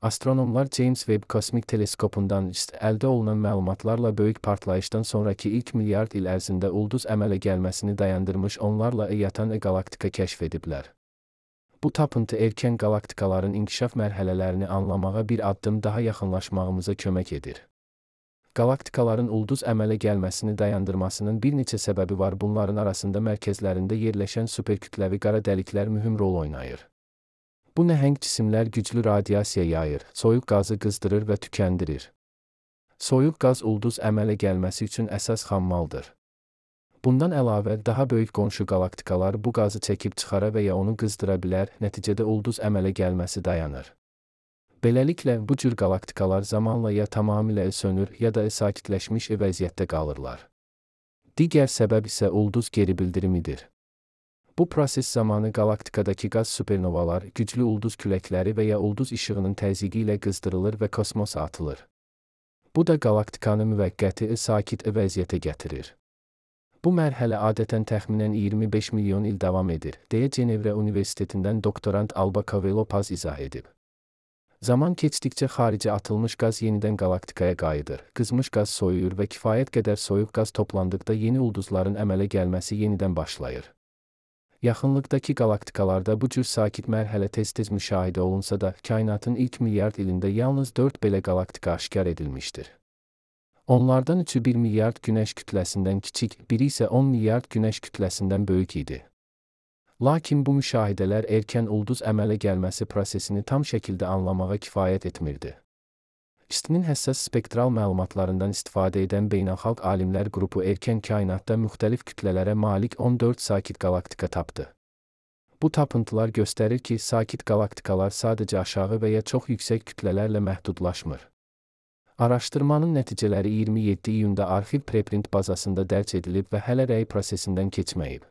Astronomlar James Webb kosmik teleskopundan əldə olunan məlumatlarla böyük partlayışdan sonraki ilk milyard il ərzində ulduz əmələ gəlməsini dayandırmış onlarla yatan qalaktika kəşf ediblər. Bu tapıntı erkən qalaktikaların inkişaf mərhələlərini anlamağa bir addım daha yaxınlaşmağımıza kömək edir. Qalaktikaların ulduz əmələ gəlməsini dayandırmasının bir neçə səbəbi var. Bunların arasında mərkəzlərində yerləşən superkütləvi qara dəliklər mühüm rol oynayır. Bu nəhəng cisimlər güclü radiasiya yayır, soyuq qazı qızdırır və tükəndirir. Soyuq qaz ulduz əmələ gəlməsi üçün əsas xammaldır. Bundan əlavə, daha böyük qonşu qalaktikalar bu qazı çəkib çıxara və ya onu qızdıra bilər, nəticədə ulduz əmələ gəlməsi dayanır. Beləliklə, bu cür qalaktikalar zamanla ya tamamilə sönür, ya da sakitləşmiş vəziyyətdə qalırlar. Digər səbəb isə ulduz geri bildirimidir. Bu proses zamanı qalaktikadakı qaz supernovalar, güclü ulduz küləkləri və ya ulduz işığının təzyiqi ilə qızdırılır və kosmosa atılır. Bu da qalaktikanı müvəqqəti sakit vəziyyətə gətirir. Bu mərhələ adətən təxminən 25 milyon il davam edir, deyə Cenevre Universitetindən doktorant Alba Covello Paz izah edib. Zaman keçdikcə xaricə atılmış qaz yenidən qalaktikaya qayıdır, qızmış qaz soyuyur və kifayət qədər soyuq qaz toplandıqda yeni ulduzların əmələ gəlməsi yenidən başlayır. Yaxınlıqdakı qalaktikalarda bu cür sakit mərhələ tez-tez müşahidə olunsa da, kainatın ilk milyard ilində yalnız 4 belə qalaktika aşkar edilmişdir. Onlardan üçü 1 milyard günəş kütləsindən kiçik, biri isə 10 milyard günəş kütləsindən böyük idi. Lakin bu müşahidələr erkən ulduz əmələ gəlməsi prosesini tam şəkildə anlamağa kifayət etmirdi. İstinin həssas spektral məlumatlarından istifadə edən beynəlxalq alimlər qrupu erkən kainatda müxtəlif kütlələrə malik 14 sakit qalaktika tapdı. Bu tapıntılar göstərir ki, sakit qalaktikalar sadəcə aşağı və ya çox yüksək kütlələrlə məhdudlaşmır. Araşdırmanın nəticələri 27 iyunda arxiv preprint bazasında dərc edilib və hələ rəy prosesindən keçməyib.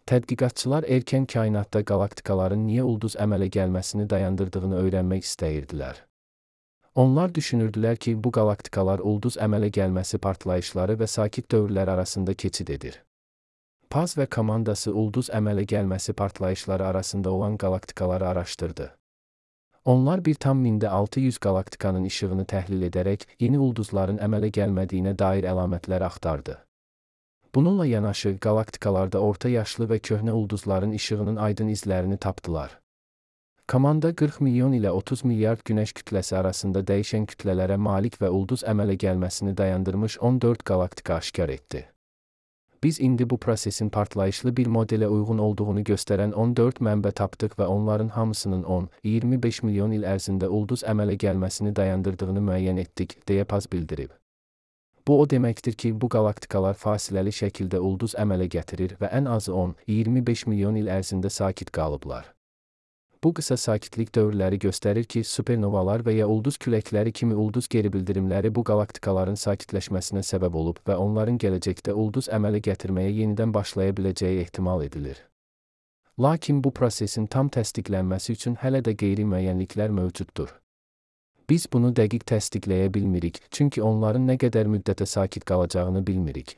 Tədqiqatçılar erkən kainatda qalaktikaların niyə ulduz əmələ gəlməsini dayandırdığını öyrənmək istəyirdilər. Onlar düşünürdülər ki, bu qalaktikalar ulduz əmələ gəlməsi partlayışları və sakit dövrlər arasında keçid edir. Paz və komandası ulduz əmələ gəlməsi partlayışları arasında olan qalaktikaları araşdırdı. Onlar 1,600 qalaktikanın işığını təhlil edərək yeni ulduzların əmələ gəlmədiyinə dair əlamətlər axtardı. Bununla yanaşı, qalaktikalarda orta yaşlı və köhnə ulduzların işığının aydın izlərini tapdılar. Komanda 40 milyon ilə 30 milyard günəş kütləsi arasında dəyişən kütlələrə malik və ulduz əmələ gəlməsini dayandırmış 14 qalaktika aşkar etdi. Biz indi bu prosesin partlayışlı bir modelə uyğun olduğunu göstərən 14 mənbə tapdıq və onların hamısının 10-25 milyon il ərzində ulduz əmələ gəlməsini dayandırdığını müəyyən etdik, deyə Paz bildirib. Bu o deməkdir ki, bu qalaktikalar fasiləli şəkildə ulduz əmələ gətirir və ən azı 10-25 milyon il ərzində sakit qalıblar. Bu qısa sakitlik dövrləri göstərir ki, supernovalar və ya ulduz küləkləri kimi ulduz geri bildirimləri bu qalaktikaların sakitləşməsinə səbəb olub və onların gələcəkdə ulduz əmələ gətirməyə yenidən başlaya biləcəyi ehtimal edilir. Lakin bu prosesin tam təsdiqlənməsi üçün hələ də qeyri-müəyyənliklər mövcuddur. Biz bunu dəqiq təsdiqləyə bilmirik, çünki onların nə qədər müddətə sakit qalacağını bilmirik.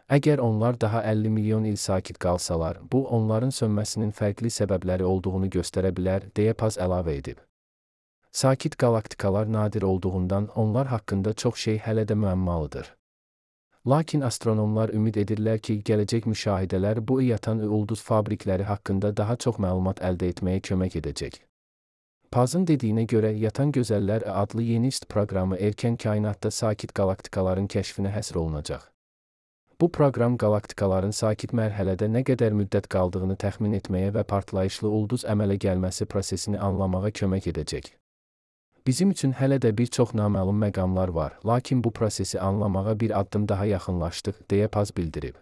Əgər onlar daha 50 milyon il sakit qalsalar, bu onların sönməsinin fərqli səbəbləri olduğunu göstərə bilər, deyə Paz əlavə edib. Sakit qalaktikalar nadir olduğundan onlar haqqında çox şey hələ də müəmmalıdır. Lakin astronomlar ümid edirlər ki, gələcək müşahidələr bu yatan ulduz fabrikləri haqqında daha çox məlumat əldə etməyə kömək edəcək. Pazın dediyinə görə, Yatan Gözəllər adlı yeni proqramı erkən kainatda sakit qalaktikaların kəşfinə həsr olunacaq. Bu proqram qalaktikaların sakit mərhələdə nə qədər müddət qaldığını təxmin etməyə və partlayışlı ulduz əmələ gəlməsi prosesini anlamağa kömək edəcək. Bizim üçün hələ də bir çox naməlum məqamlar var, lakin bu prosesi anlamağa bir addım daha yaxınlaşdıq, deyə Paz bildirib.